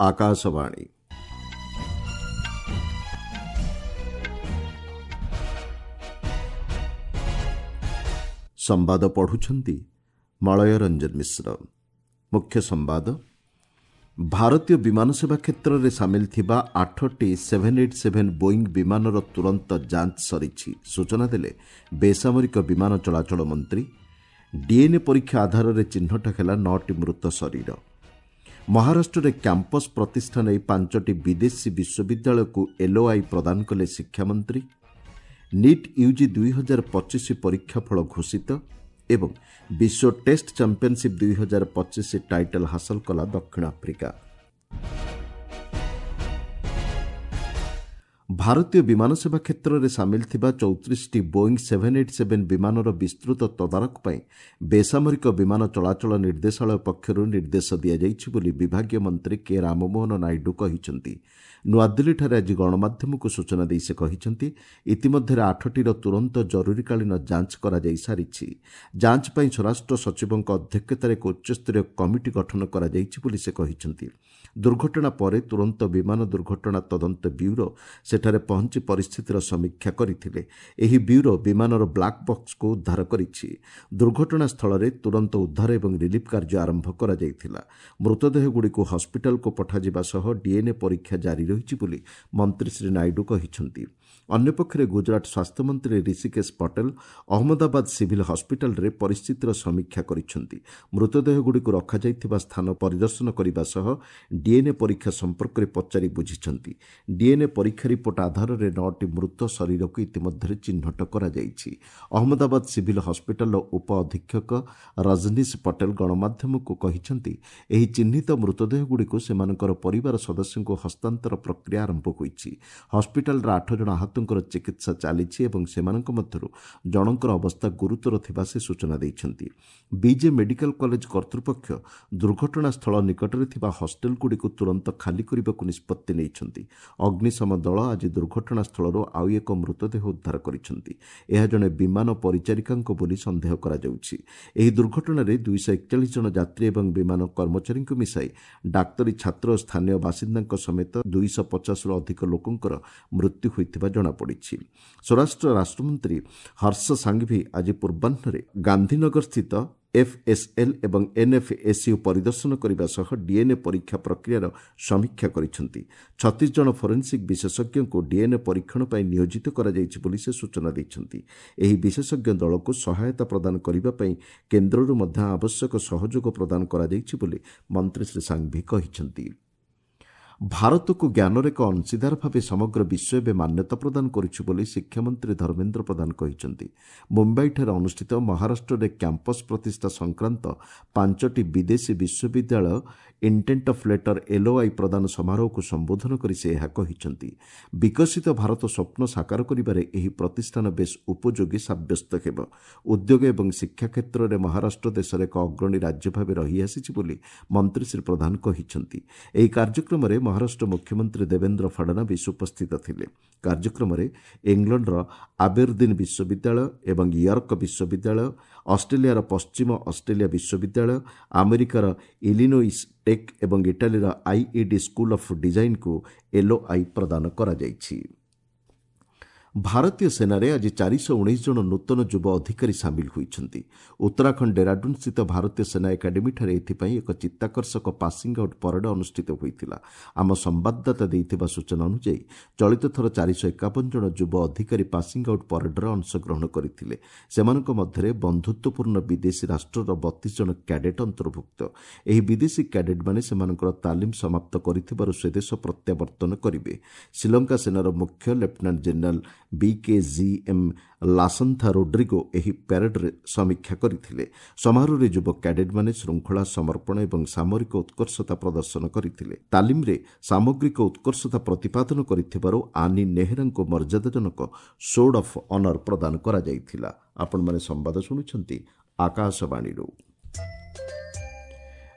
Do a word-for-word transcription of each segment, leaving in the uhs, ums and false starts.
ଆକାଶବାଣୀ। ସମ୍ବାଦ ପଢ଼ୁଛନ୍ତି ମଳୟ ରଞ୍ଜନ ମିଶ୍ର। ମୁଖ୍ୟ ସମ୍ବାଦ, ଭାରତୀୟ ବିମାନ ସେବା କ୍ଷେତ୍ରରେ ସାମିଲ ଥିବା ଆଠଟି ସେଭେନ୍ ଏଇଟ୍ ସେଭେନ୍ ବୋଇଂ ବିମାନର ତୁରନ୍ତ ଯାଞ୍ଚ ସରିଛି, ସୂଚନା ଦେଲେ ବେସାମରିକ ବିମାନ ଚଳାଚଳ ମନ୍ତ୍ରୀ। ଡିଏନ୍ଏ ପରୀକ୍ଷା ଆଧାରରେ ଚିହ୍ନଟ ହେଲା ନଅଟି ମୃତ ଶରୀର। ମହାରାଷ୍ଟ୍ରରେ କ୍ୟାମ୍ପସ୍ ପ୍ରତିଷ୍ଠା ନେଇ ପାଞ୍ଚଟି ବିଦେଶୀ ବିଶ୍ୱବିଦ୍ୟାଳୟକୁ ଏଲ୍ଓଆଇ ପ୍ରଦାନ କଲେ ଶିକ୍ଷାମନ୍ତ୍ରୀ। ନିଟ୍ ୟୁଜି ଦୁଇ ହଜାର ପଚିଶ ପରୀକ୍ଷା ଫଳ ଘୋଷିତ ଏବଂ ବିଶ୍ୱ ଟେଷ୍ଟ ଚାମ୍ପିୟନସିପ୍ ଦୁଇ ହଜାର ପଚିଶ ଟାଇଟଲ୍ ହାସଲ କଲା ଦକ୍ଷିଣ ଆଫ୍ରିକା। ଭାରତୀୟ ବିମାନ ସେବା କ୍ଷେତ୍ରରେ ସାମିଲ ଥିବା ଚଉତିରିଶଟି ବୋଇଂ ସେଭେନ୍ ଏଇଟ୍ ସେଭେନ୍ ବିମାନର ବିସ୍ତୃତ ତଦାରଖ ପାଇଁ ବେସାମରିକ ବିମାନ ଚଳାଚଳ ନିର୍ଦ୍ଦେଶାଳୟ ପକ୍ଷରୁ ନିର୍ଦ୍ଦେଶ ଦିଆଯାଇଛି ବୋଲି ବିଭାଗୀୟ ମନ୍ତ୍ରୀ କେ ରାମମୋହନ ନାଇଡୁ କହିଛନ୍ତି। ନୂଆଦିଲ୍ଲୀଠାରେ ଆଜି ଗଣମାଧ୍ୟମକୁ ସୂଚନା ଦେଇ ସେ କହିଛନ୍ତି, ଇତିମଧ୍ୟରେ ଆଠଟିର ତୁରନ୍ତ ଜରୁରୀକାଳୀନ ଯାଞ୍ଚ କରାଯାଇ ସାରିଛି। ଯାଞ୍ଚ ପାଇଁ ସ୍ୱରାଷ୍ଟ୍ର ସଚିବଙ୍କ ଅଧ୍ୟକ୍ଷତାରେ ଏକ ଉଚ୍ଚସ୍ତରୀୟ କମିଟି ଗଠନ କରାଯାଇଛି ବୋଲି ସେ କହିଛନ୍ତି। ଦୁର୍ଘଟଣା ପରେ ତୁରନ୍ତ ବିମାନ ଦୁର୍ଘଟଣା ତଦନ୍ତ ବ୍ୟୁରୋ ସେଠାରେ ପହଞ୍ଚି ପରିସ୍ଥିତିର ସମୀକ୍ଷା କରିଥିଲେ। ଏହି ବ୍ୟୁରୋ ବିମାନର ବ୍ଲାକ୍ ବକ୍ସକୁ ଉଦ୍ଧାର କରିଛି। ଦୁର୍ଘଟଣାସ୍ଥଳରେ ତୁରନ୍ତ ଉଦ୍ଧାର ଏବଂ ରିଲିଫ୍ କାର୍ଯ୍ୟ ଆରମ୍ଭ କରାଯାଇଥିଲା। ମୃତଦେହଗୁଡ଼ିକୁ ହସ୍ପିଟାଲକୁ ପଠାଯିବା ସହ ଡିଏନ୍ଏ ପରୀକ୍ଷା ଜାରି ରହିଛି ବୋଲି ମନ୍ତ୍ରୀ ଶ୍ରୀ ନାଇଡୁ କହିଛନ୍ତି। ଅନ୍ୟପକ୍ଷରେ ଗୁଜରାଟ ସ୍ୱାସ୍ଥ୍ୟମନ୍ତ୍ରୀ ଋଷିକେଶ ପଟେଲ ଅହମ୍ମଦାବାଦ ସିଭିଲ୍ ହସ୍ପିଟାଲରେ ପରିସ୍ଥିତିର ସମୀକ୍ଷା କରିଛନ୍ତି। ମୃତଦେହଗୁଡ଼ିକୁ ରଖାଯାଇଥିବା ସ୍ଥାନ ପରିଦର୍ଶନ କରିବା ସହ ଡିଏନ୍ଏ ପରୀକ୍ଷା ସମ୍ପର୍କରେ ପଚାରି ବୁଝିଛନ୍ତି। ଡିଏନ୍ଏ ପରୀକ୍ଷା ରିପୋର୍ଟ ଆଧାରରେ ନଅଟି ମୃତ ଶରୀରକୁ ଇତିମଧ୍ୟରେ ଚିହ୍ନଟ କରାଯାଇଛି। ଅହମ୍ମଦାବାଦ ସିଭିଲ୍ ହସ୍ପିଟାଲର ଉପ ଅଧୀକ୍ଷକ ରଜନୀଶ ପଟେଲ ଗଣମାଧ୍ୟମକୁ କହିଛନ୍ତି, ଏହି ଚିହ୍ନିତ ମୃତଦେହଗୁଡ଼ିକୁ ସେମାନଙ୍କର ପରିବାର ସଦସ୍ୟଙ୍କୁ ହସ୍ତାନ୍ତର ପ୍ରକ୍ରିୟା ଆରମ୍ଭ ହୋଇଛି। ହସ୍ପିଟାଲର ଆଠ ଜଣ ଆହତଙ୍କର ଚିକିତ୍ସା ଚାଲିଛି ଏବଂ ସେମାନଙ୍କ ମଧ୍ୟରୁ ଜଣଙ୍କର ଅବସ୍ଥା ଗୁରୁତର ଥିବା ସେ ସୂଚନା ଦେଇଛନ୍ତି। ବିଜେ ମେଡିକାଲ କଲେଜ କର୍ତ୍ତୃପକ୍ଷ ଦୁର୍ଘଟଣାସ୍ଥଳ ନିକଟରେ ଥିବା ହଷ୍ଟେଲଗୁଡ଼ିକୁ ତୁରନ୍ତ ଖାଲି କରିବାକୁ ନିଷ୍ପତ୍ତି ନେଇଛନ୍ତି। ଅଗ୍ନିଶମ ଦଳ ଆଜି ଦୁର୍ଘଟଣାସ୍ଥଳରୁ ଆଉ ଏକ ମୃତଦେହ ଉଦ୍ଧାର କରିଛନ୍ତି। ଏହା ଜଣେ ବିମାନ ପରିଚାରିକାଙ୍କ ବୋଲି ସନ୍ଦେହ କରାଯାଉଛି। ଏହି ଦୁର୍ଘଟଣାରେ ଦୁଇଶହ ଏକଚାଳିଶ ଜଣ ଯାତ୍ରୀ ଏବଂ ବିମାନ କର୍ମଚାରୀଙ୍କୁ ମିଶାଇ ଡାକ୍ତରୀ ଛାତ୍ର ଓ ସ୍ଥାନୀୟ ବାସିନ୍ଦାଙ୍କ ସମେତ ଦୁଇଶହ ପଚାଶରୁ ଅଧିକ ଲୋକଙ୍କର ମୃତ୍ୟୁ ହୋଇଥିବା ଜଣାପଡ଼ିଛି। ସ୍ୱରାଷ୍ଟ୍ର ରାଷ୍ଟ୍ରମନ୍ତ୍ରୀ ହର୍ଷ ସାଙ୍ଘଭି ଆଜି ପୂର୍ବାହ୍ନରେ ଗାନ୍ଧୀନଗରସ୍ଥିତ ଏଫ୍ଏସ୍ଏଲ୍ ଏବଂ ଏନ୍ଏଫ୍ଏସ୍ୟୁ ପରିଦର୍ଶନ କରିବା ସହ ଡିଏନ୍ଏ ପରୀକ୍ଷା ପ୍ରକ୍ରିୟାର ସମୀକ୍ଷା କରିଛନ୍ତି। ଛତିଶ ଜଣ ଫୋରେନ୍ସିକ୍ ବିଶେଷଜ୍ଞଙ୍କୁ ଡିଏନ୍ଏ ପରୀକ୍ଷଣ ପାଇଁ ନିୟୋଜିତ କରାଯାଇଛି ବୋଲି ସେ ସୂଚନା ଦେଇଛନ୍ତି। ଏହି ବିଶେଷଜ୍ଞ ଦଳକୁ ସହାୟତା ପ୍ରଦାନ କରିବା ପାଇଁ କେନ୍ଦ୍ରରୁ ମଧ୍ୟ ଆବଶ୍ୟକ ସହଯୋଗ ପ୍ରଦାନ କରାଯାଇଛି ବୋଲି ମନ୍ତ୍ରୀ ଶ୍ରୀ ସାଙ୍ଘଭି କହିଛନ୍ତି। ଭାରତକୁ ଜ୍ଞାନର ଏକ ଅଂଶୀଦାର ଭାବେ ସମଗ୍ର ବିଶ୍ୱ ଏବେ ମାନ୍ୟତା ପ୍ରଦାନ କରୁଛି ବୋଲି ଶିକ୍ଷାମନ୍ତ୍ରୀ ଧର୍ମେନ୍ଦ୍ର ପ୍ରଧାନ କହିଛନ୍ତି। ମୁମ୍ବାଇଠାରେ ଅନୁଷ୍ଠିତ ମହାରାଷ୍ଟ୍ରରେ କ୍ୟାମ୍ପସ୍ ପ୍ରତିଷ୍ଠା ସଂକ୍ରାନ୍ତ ପାଞ୍ଚଟି ବିଦେଶୀ ବିଶ୍ୱବିଦ୍ୟାଳୟ ଇଣ୍ଟେଣ୍ଟ ଅଫ୍ ଲେଟର ଏଲ୍ଓଆଇ ପ୍ରଦାନ ସମାରୋହକୁ ସମ୍ବୋଧନ କରି ସେ ଏହା କହିଛନ୍ତି। ବିକଶିତ ଭାରତ ସ୍ୱପ୍ନ ସାକାର କରିବାରେ ଏହି ପ୍ରତିଷ୍ଠାନ ବେଶ୍ ଉପଯୋଗୀ ସାବ୍ୟସ୍ତ ହେବ। ଉଦ୍ୟୋଗ ଏବଂ ଶିକ୍ଷା କ୍ଷେତ୍ରରେ ମହାରାଷ୍ଟ୍ର ଦେଶର ଏକ ଅଗ୍ରଣୀ ରାଜ୍ୟ ଭାବେ ରହିଆସିଛି ବୋଲି ମନ୍ତ୍ରୀ ଶ୍ରୀ ପ୍ରଧାନ କହିଛନ୍ତି। ଏହି କାର୍ଯ୍ୟକ୍ରମରେ ମହାରାଷ୍ଟ୍ର ମୁଖ୍ୟମନ୍ତ୍ରୀ ଦେବେନ୍ଦ୍ର ଫଡନାବିସ୍ ଉପସ୍ଥିତ ଥିଲେ। କାର୍ଯ୍ୟକ୍ରମରେ ଇଂଲଣ୍ଡର ଆବେରଦିନ୍ ବିଶ୍ୱବିଦ୍ୟାଳୟ ଏବଂ ୟର୍କ ବିଶ୍ୱବିଦ୍ୟାଳୟ, ଅଷ୍ଟ୍ରେଲିଆର ପଶ୍ଚିମ ଅଷ୍ଟ୍ରେଲିଆ ବିଶ୍ୱବିଦ୍ୟାଳୟ, ଆମେରିକାର ଇଲିନୋଇସ୍ ଟେକ୍ ଏବଂ ଇଟାଲୀର ଆଇଇଡି ସ୍କୁଲ ଅଫ୍ ଡିଜାଇନ୍କୁ ଏଲ୍ଓଆଇ ପ୍ରଦାନ କରାଯାଇଛି। ଭାରତୀୟ ସେନାରେ ଆଜି ଚାରିଶହ ଉଣେଇଶ ଜଣ ନୂତନ ଯୁବ ଅଧିକାରୀ ସାମିଲ ହୋଇଛନ୍ତି। ଉତ୍ତରାଖଣ୍ଡ ଡେରାଡୁନ୍ସ୍ଥିତ ଭାରତୀୟ ସେନା ଏକାଡେମୀଠାରେ ଏଥିପାଇଁ ଏକ ଚିତ୍ତାକର୍ଷକ ପାସିଂ ଆଉଟ୍ ପରେଡ୍ ଅନୁଷ୍ଠିତ ହୋଇଥିଲା। ଆମ ସମ୍ବାଦଦାତା ଦେଇଥିବା ସୂଚନା ଅନୁଯାୟୀ ଚଳିତ ଥର ଚାରିଶହ ଏକାବନ ଜଣ ଯୁବ ଅଧିକାରୀ ପାସିଂ ଆଉଟ୍ ପରେଡ୍ରେ ଅଂଶଗ୍ରହଣ କରିଥିଲେ। ସେମାନଙ୍କ ମଧ୍ୟରେ ବନ୍ଧୁତ୍ୱପୂର୍ଣ୍ଣ ବିଦେଶୀ ରାଷ୍ଟ୍ରର ବତିଶ ଜଣ କ୍ୟାଡେଟ୍ ଅନ୍ତର୍ଭୁକ୍ତ। ଏହି ବିଦେଶୀ କ୍ୟାଡେଟ୍ମାନେ ସେମାନଙ୍କର ତାଲିମ ସମାପ୍ତ କରିଥିବାରୁ ସ୍ୱଦେଶ ପ୍ରତ୍ୟାବର୍ତ୍ତନ କରିବେ। ଶ୍ରୀଲଙ୍କା ସେନାର ମୁଖ୍ୟ lieutenant general B K G M Lasantha Rodrigo ଏହି ପ୍ୟାରେଡ୍ରେ ସମୀକ୍ଷା କରିଥିଲେ। ସମାରୋହରେ ଯୁବ କ୍ୟାଡେଟ୍ମାନେ ଶୃଙ୍ଖଳା, ସମର୍ପଣ ଏବଂ ସାମରିକ ଉତ୍କର୍ଷତା ପ୍ରଦର୍ଶନ କରିଥିଲେ। ତାଲିମରେ ସାମଗ୍ରିକ ଉତ୍କର୍ଷତା ପ୍ରତିପାଦନ କରିଥିବାରୁ ଆନି ନେହେରାଙ୍କୁ ମର୍ଯ୍ୟାଦାଜନକ ସୋର୍ଡ ଅଫ୍ ଅନର୍ ପ୍ରଦାନ କରାଯାଇଥିଲା। ଆପଣମାନେ ସମ୍ବାଦ ଶୁଣୁଛନ୍ତି ଆକାଶବାଣୀରୁ।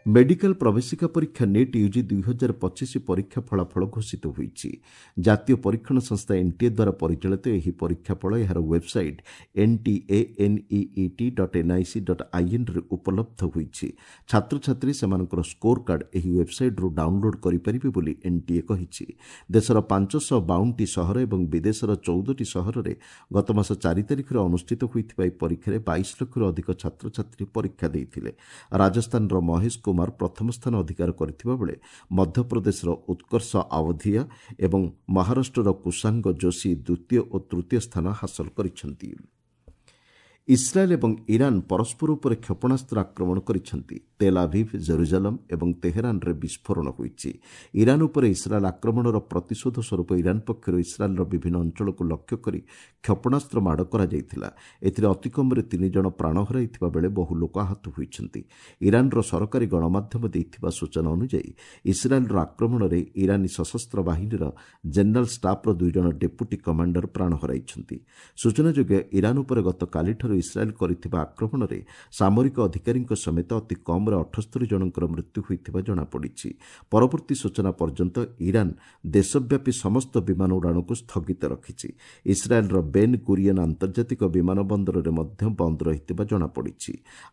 ମେଡିକାଲ ପ୍ରବେଶିକା ପରୀକ୍ଷା ନିଟ୍ ୟୁଜି ଦୁଇହଜାର ପଚିଶ ପରୀକ୍ଷା ଫଳାଫଳ ଘୋଷିତ ହୋଇଛି। ଜାତୀୟ ପରୀକ୍ଷଣ ସଂସ୍ଥା ଏନ୍ଟିଏ ଦ୍ୱାରା ପରିଚାଳିତ ଏହି ପରୀକ୍ଷା ଫଳ ଏହାର website N T A N E E T dot N I C dot ଆଇଏନ୍ରେ ଉପଲବ୍ଧ ହୋଇଛି। ଛାତ୍ରଛାତ୍ରୀ ସେମାନଙ୍କର ସ୍କୋର କାର୍ଡ ଏହି ୱେବ୍ସାଇଟ୍ରୁ ଡାଉନ୍ଲୋଡ୍ କରିପାରିବେ ବୋଲି ଏନ୍ଟିଏ କହିଛି। ଦେଶର ପାଞ୍ଚଶହ ବାଉନଟି ସହର ଏବଂ ବିଦେଶର ଚଉଦଟି ସହରରେ ଗତମାସ ଚାରି ତାରିଖରେ ଅନୁଷ୍ଠିତ ହୋଇଥିବା ଏହି ପରୀକ୍ଷାରେ ବାଇଶ ଲକ୍ଷରୁ ଅଧିକ ଛାତ୍ରଛାତ୍ରୀ ପରୀକ୍ଷା ଦେଇଥିଲେ। ରାଜସ୍ଥାନର ମହେଶ କୁମାର ପ୍ରଥମ ସ୍ଥାନ ଅଧିକାର କରିଥିବା ବେଳେ ମଧ୍ୟପ୍ରଦେଶର ଉତ୍କର୍ଷ ଆୱଧିଆ ଏବଂ ମହାରାଷ୍ଟ୍ରର କୁଶାଙ୍ଗ ଯୋଶୀ ଦ୍ୱିତୀୟ ଓ ତୃତୀୟ ସ୍ଥାନ ହାସଲ କରିଛନ୍ତି। ଇସ୍ରାଏଲ୍ ଏବଂ ଇରାନ୍ ପରସ୍ପର ଉପରେ କ୍ଷେପଣାସ୍ତ୍ର ଆକ୍ରମଣ କରିଛନ୍ତି। ତେଲ୍ ଆଭିଭ୍, ଜେରୁଜାଲମ୍ ଏବଂ ତେହେରାନରେ ବିସ୍ଫୋରଣ ହୋଇଛି। ଇରାନ୍ ଉପରେ ଇସ୍ରାଏଲ୍ ଆକ୍ରମଣର ପ୍ରତିଶୋଧ ସ୍ୱରୂପ ଇରାନ୍ ପକ୍ଷରୁ ଇସ୍ରାଏଲ୍ର ବିଭିନ୍ନ ଅଞ୍ଚଳକୁ ଲକ୍ଷ୍ୟ କରି କ୍ଷେପଣାସ୍ତ୍ର ମାଡ଼ କରାଯାଇଥିଲା। ଏଥିରେ ଅତିକମ୍ରେ ତିନି ଜଣ ପ୍ରାଣ ହରାଇଥିବା ବେଳେ ବହୁ ଲୋକ ଆହତ ହୋଇଛନ୍ତି। ଇରାନ୍ର ସରକାରୀ ଗଣମାଧ୍ୟମ ଦେଇଥିବା ସୂଚନା ଅନୁଯାୟୀ ଇସ୍ରାଏଲ୍ର ଆକ୍ରମଣରେ ଇରାନୀ ସଶସ୍ତ୍ର ବାହିନୀର ଜେନେରାଲ୍ ଷ୍ଟାଫ୍ର ଦୁଇ ଜଣ ଡେପୁଟି କମାଣ୍ଡର ପ୍ରାଣ ହରାଇଛନ୍ତି। ସୂଚନାଯୋଗ୍ୟ, ଇରାନ୍ ଉପରେ ଗତକାଲିଠାରୁ ଇସ୍ରାଏଲ୍ କରିଥିବା ଆକ୍ରମଣରେ ସାମରିକ ଅଧିକାରୀଙ୍କ ସମେତ ଅତି କମ୍ରେ ଅଠସ୍ତରୀ ଜଣଙ୍କର ମୃତ୍ୟୁ ହୋଇଥିବା ଜଣାପଡ଼ିଛି। ପରବର୍ତ୍ତୀ ସୂଚନା ପର୍ଯ୍ୟନ୍ତ ଇରାନ୍ ଦେଶବ୍ୟାପୀ ସମସ୍ତ ବିମାନ ଉଡ଼ାଣକୁ ସ୍ଥଗିତ ରଖିଛି। ଇସ୍ରାଏଲ୍ର ବେନ୍ ଗୁରିୟନ୍ ଆନ୍ତର୍ଜାତିକ ବିମାନ ବନ୍ଦରରେ ମଧ୍ୟ ବନ୍ଦ ରହିଥିବା ଜଣାପଡ଼ିଛି।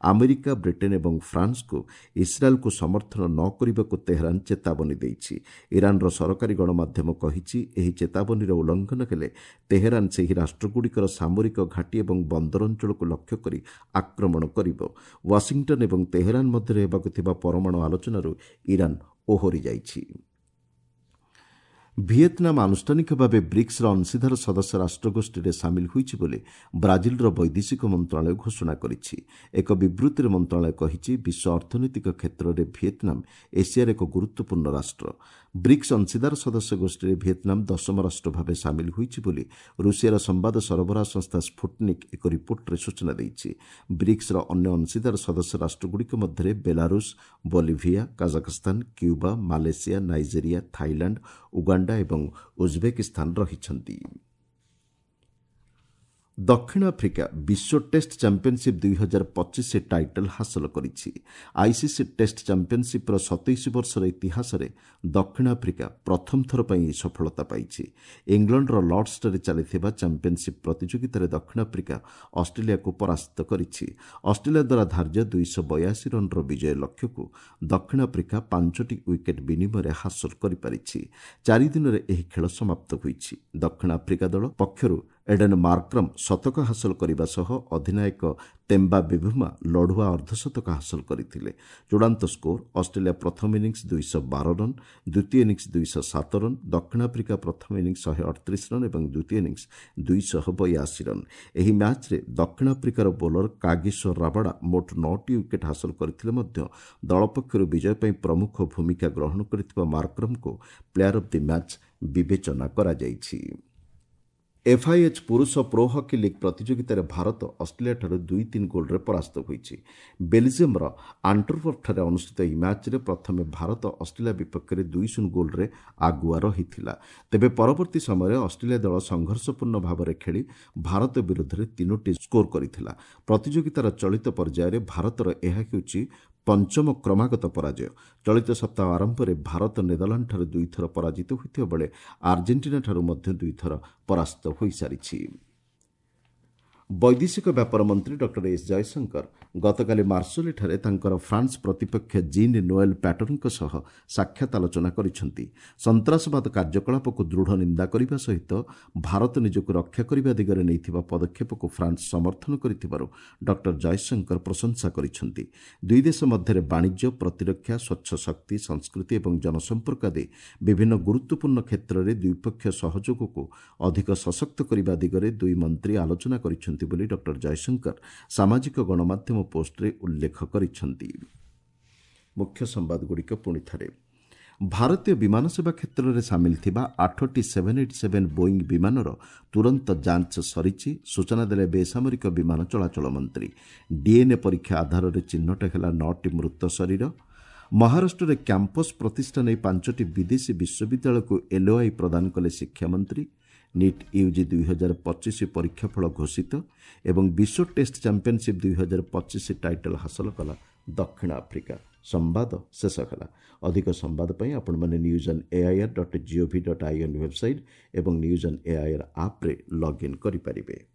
ଆମେରିକା, ବ୍ରିଟେନ୍ ଏବଂ ଫ୍ରାନ୍ସକୁ ଇସ୍ରାଏଲ୍କୁ ସମର୍ଥନ ନ କରିବାକୁ ତେହେରାନ୍ ଚେତାବନୀ ଦେଇଛି। ଇରାନ୍ର ସରକାରୀ ଗଣମାଧ୍ୟମ କହିଛି, ଏହି ଚେତାବନୀର ଉଲ୍ଲଂଘନ ହେଲେ ତେହେରାନ୍ ସେହି ରାଷ୍ଟ୍ରଗୁଡ଼ିକର ସାମରିକ ଘାଟି ଏବଂ ବନ୍ଦର ଅଞ୍ଚଳକୁ ଲକ୍ଷ୍ୟ କରି ଆକ୍ରମଣ କରିବ। ୱାଶିଂଟନ୍ ଏବଂ ତେହେରାନ୍ ମଧ୍ୟରେ ହେବାକୁ ଥିବା ପରମାଣୁ ଆଲୋଚନାରୁ ଇରାନ୍ ଓହରି ଯାଇଛି। ଭିଏତନାମ ଆନୁଷ୍ଠାନିକ ଭାବେ ବ୍ରିକ୍ସର ଅଂଶୀଦାର ସଦସ୍ୟ ରାଷ୍ଟ୍ରଗୋଷ୍ଠୀରେ ସାମିଲ ହୋଇଛି ବୋଲି ବ୍ରାଜିଲର ବୈଦେଶିକ ମନ୍ତ୍ରଣାଳୟ ଘୋଷଣା କରିଛି। ଏକ ବିବୃତ୍ତିରେ ମନ୍ତ୍ରଣାଳୟ କହିଛି, ବିଶ୍ୱ ଅର୍ଥନୈତିକ କ୍ଷେତ୍ରରେ ଭିଏତନାମ ଏସିଆର ଏକ ଗୁରୁତ୍ୱପୂର୍ଣ୍ଣ ରାଷ୍ଟ୍ର। ବ୍ରିକ୍ସ ଅଂଶୀଦାର ସଦସ୍ୟ ଗୋଷ୍ଠୀରେ ଭିଏତନାମ ଦଶମ ରାଷ୍ଟ୍ର ଭାବେ ସାମିଲ ହୋଇଛି ବୋଲି ରୁଷିଆର ସମ୍ବାଦ ସରବରାହ ସଂସ୍ଥା ସ୍ଫୁଟନିକ୍ ଏକ ରିପୋର୍ଟରେ ସୂଚନା ଦେଇଛି। ବ୍ରିକ୍ସର ଅନ୍ୟ ଅଂଶୀଦାର ସଦସ୍ୟ ରାଷ୍ଟ୍ରଗୁଡ଼ିକ ମଧ୍ୟରେ Belarus, Bolivia, Kazakhstan, Cuba, Malaysia, Nigeria, Thailand, Uganda ଏବଂ ଉଜବେକିସ୍ତାନ ରହିଛନ୍ତି। ଦକ୍ଷିଣ ଆଫ୍ରିକା ବିଶ୍ୱ ଟେଷ୍ଟ ଚାମ୍ପିୟନସିପ୍ ଦୁଇହଜାର ପଚିଶ ଟାଇଟଲ୍ ହାସଲ କରିଛି। ଆଇସିସି ଟେଷ୍ଟ ଚାମ୍ପିୟନସିପ୍ର ସତେଇଶ ବର୍ଷର ଇତିହାସରେ ଦକ୍ଷିଣ ଆଫ୍ରିକା ପ୍ରଥମ ଥର ପାଇଁ ଏହି ସଫଳତା ପାଇଛି। ଇଂଲଣ୍ଡର ଲର୍ଡସଠାରେ ଚାଲିଥିବା ଚାମ୍ପିୟନସିପ୍ ପ୍ରତିଯୋଗିତାରେ ଦକ୍ଷିଣ ଆଫ୍ରିକା ଅଷ୍ଟ୍ରେଲିଆକୁ ପରାସ୍ତ କରିଛି। ଅଷ୍ଟ୍ରେଲିଆ ଦ୍ୱାରା ଧାର୍ଯ୍ୟ ଦୁଇଶହ ବୟାଅଶୀ ରନ୍ର ବିଜୟ ଲକ୍ଷ୍ୟକୁ ଦକ୍ଷିଣ ଆଫ୍ରିକା ପାଞ୍ଚଟି ୱିକେଟ୍ ବିନିମୟରେ ହାସଲ କରିପାରିଛି। ଚାରି ଦିନରେ ଏହି ଖେଳ ସମାପ୍ତ ହୋଇଛି। ଦକ୍ଷିଣ ଆଫ୍ରିକା ଦଳ ପକ୍ଷରୁ ଏଡେନ୍ ମାର୍କ୍ରମ୍ ଶତକ ହାସଲ କରିବା ସହ ଅଧିନାୟକ ତେମ୍ବା ବିଭୁମା ଲଢୁଆ ଅର୍ଦ୍ଧଶତକ ହାସଲ କରିଥିଲେ। ଚୂଡ଼ାନ୍ତ ସ୍କୋର ଅଷ୍ଟ୍ରେଲିଆ ପ୍ରଥମ ଇନିଂସ ଦୁଇଶହ ବାର ରନ୍, ଦ୍ୱିତୀୟ ଇନିଂସ ଦୁଇଶହ ସାତ ରନ୍, ଦକ୍ଷିଣ ଆଫ୍ରିକା ପ୍ରଥମ ଇନିଂସ ଶହେ ଅଠତିରିଶ ରନ୍ ଏବଂ ଦ୍ୱିତୀୟ ଇନିଂସ ଦୁଇଶହ ବୟାଅଶୀ ରନ୍। ଏହି ମ୍ୟାଚ୍ରେ ଦକ୍ଷିଣ ଆଫ୍ରିକାର ବୋଲର କାଗିସୋ ରାବାଡା ମୋଟ ନଅଟି ୱିକେଟ୍ ହାସଲ କରିଥିଲେ ମଧ୍ୟ ଦଳ ପକ୍ଷରୁ ବିଜୟ ପାଇଁ ପ୍ରମୁଖ ଭୂମିକା ଗ୍ରହଣ କରିଥିବା ମାର୍କ୍ରମ୍ଙ୍କୁ ପ୍ଲେୟାର ଅଫ୍ the match ବିବେଚନା କରାଯାଇଛି। ଏଫ୍ଆଇଏଚ୍ ପୁରୁଷ ପ୍ରୋ ହକି ଲିଗ୍ ପ୍ରତିଯୋଗିତାରେ ଭାରତ ଅଷ୍ଟ୍ରେଲିଆଠାରୁ ଦୁଇ ତିନି ଗୋଲ୍ରେ ପରାସ୍ତ ହୋଇଛି। ବେଲ୍ଜିୟମ୍ର ଆଣ୍ଟୱର୍ପଠାରେ ଅନୁଷ୍ଠିତ ଏହି ମ୍ୟାଚ୍ରେ ପ୍ରଥମେ ଭାରତ ଅଷ୍ଟ୍ରେଲିଆ ବିପକ୍ଷରେ ଦୁଇ ଶୂନ ଗୋଲ୍ରେ ଆଗୁଆ ରହିଥିଲା। ତେବେ ପରବର୍ତ୍ତୀ ସମୟରେ ଅଷ୍ଟ୍ରେଲିଆ ଦଳ ସଂଘର୍ଷପୂର୍ଣ୍ଣ ଭାବରେ ଖେଳି ଭାରତ ବିରୁଦ୍ଧରେ ତିନୋଟି ସ୍କୋର କରିଥିଲା। ପ୍ରତିଯୋଗିତାର ଚଳିତ ପର୍ଯ୍ୟାୟରେ ଭାରତର ଏହା ହେଉଛି ପଞ୍ଚମ କ୍ରମାଗତ ପରାଜୟ। ଚଳିତ ସପ୍ତାହ ଆରମ୍ଭରେ ଭାରତ ନେଦରଲାଣ୍ଡଠାରୁ ଦୁଇଥର ପରାଜିତ ହୋଇଥିବା ବେଳେ ଆର୍ଜେଣ୍ଟିନାଠାରୁ ମଧ୍ୟ ଦୁଇଥର ପରାସ୍ତ ହୋଇସାରିଛି। ବୈଦେଶିକ ବ୍ୟାପାର ମନ୍ତ୍ରୀ ଡକ୍ଟର ଏସ୍ ଜୟଶଙ୍କର ଗତକାଲି ମାର୍ସୋଲିଠାରେ ତାଙ୍କର ଫ୍ରାନ୍ସ ପ୍ରତିପକ୍ଷ ଜିନ୍ ନୋଏଲ୍ ପ୍ୟାଟରଙ୍କ ସହ ସାକ୍ଷାତ ଆଲୋଚନା କରିଛନ୍ତି। ସନ୍ତାସବାଦ କାର୍ଯ୍ୟକଳାପକୁ ଦୃଢ଼ ନିନ୍ଦା କରିବା ସହିତ ଭାରତ ନିଜକୁ ରକ୍ଷା କରିବା ଦିଗରେ ନେଇଥିବା ପଦକ୍ଷେପକୁ ଫ୍ରାନ୍ସ ସମର୍ଥନ କରିଥିବାରୁ ଡକ୍ଟର ଜୟଶଙ୍କର ପ୍ରଶଂସା କରିଛନ୍ତି। ଦୁଇ ଦେଶ ମଧ୍ୟରେ ବାଣିଜ୍ୟ, ପ୍ରତିରକ୍ଷା, ସ୍ୱଚ୍ଛ ଶକ୍ତି, ସଂସ୍କୃତି ଏବଂ ଜନସମ୍ପର୍କ ଆଦି ବିଭିନ୍ନ ଗୁରୁତ୍ୱପୂର୍ଣ୍ଣ କ୍ଷେତ୍ରରେ ଦ୍ୱିପକ୍ଷୀୟ ସହଯୋଗକୁ ଅଧିକ ସଶକ୍ତ କରିବା ଦିଗରେ ଦୁଇ ମନ୍ତ୍ରୀ ଆଲୋଚନା କରିଛନ୍ତି ବୋଲି ଡକ୍ଟର ଜୟଶଙ୍କର ସାମାଜିକ ଗଣମାଧ୍ୟମ ପୋଷ୍ଟରେ ଉଲ୍ଲେଖ କରିଛନ୍ତି। ମୁଖ୍ୟ ସମ୍ବାଦଗୁଡ଼ିକ ପୁଣି ଥରେ। ଭାରତୀୟ ବିମାନ ସେବା କ୍ଷେତ୍ରରେ ସାମିଲ ଥିବା ଆଠଟି ସେଭେନ୍ ଏଇଟ୍ ସେଭେନ୍ ବୋଇଂ ବିମାନର ତୁରନ୍ତ ଯାଞ୍ଚ ସରିଛି, ସୂଚନା ଦେଲେ ବେସାମରିକ ବିମାନ ଚଳାଚଳ ମନ୍ତ୍ରୀ। ଡିଏନ୍ଏ ପରୀକ୍ଷା ଆଧାରରେ ଚିହ୍ନଟ ହେଲା ନଅଟି ମୃତ ଶରୀର। ମହାରାଷ୍ଟ୍ରରେ କ୍ୟାମ୍ପସ୍ ପ୍ରତିଷ୍ଠା ନେଇ ପାଞ୍ଚଟି ବିଦେଶୀ ବିଶ୍ୱବିଦ୍ୟାଳୟକୁ ଏଲ୍ଓଆଇ ପ୍ରଦାନ କଲେ ଶିକ୍ଷାମନ୍ତ୍ରୀ। ନିଟ୍ ୟୁଜି ଦୁଇହଜାର ପଚିଶ ପରୀକ୍ଷାଫଳ ଘୋଷିତ ଏବଂ ବିଶ୍ୱ ଟେଷ୍ଟ ଚାମ୍ପିୟନସିପ୍ ଦୁଇହଜାର ପଚିଶ ଟାଇଟଲ୍ ହାସଲ କଲା ଦକ୍ଷିଣ ଆଫ୍ରିକା। ସମ୍ବାଦ ଶେଷ ହେଲା। ଅଧିକ ସମ୍ବାଦ ପାଇଁ ଆପଣମାନେ news on AIR dot GOV dot IN website ଏବଂ ନ୍ୟୁଜ୍ ଅନ୍ ଏଆଇଆର୍ ଆପ୍ରେ ଲଗ୍ଇନ୍ କରିପାରିବେ।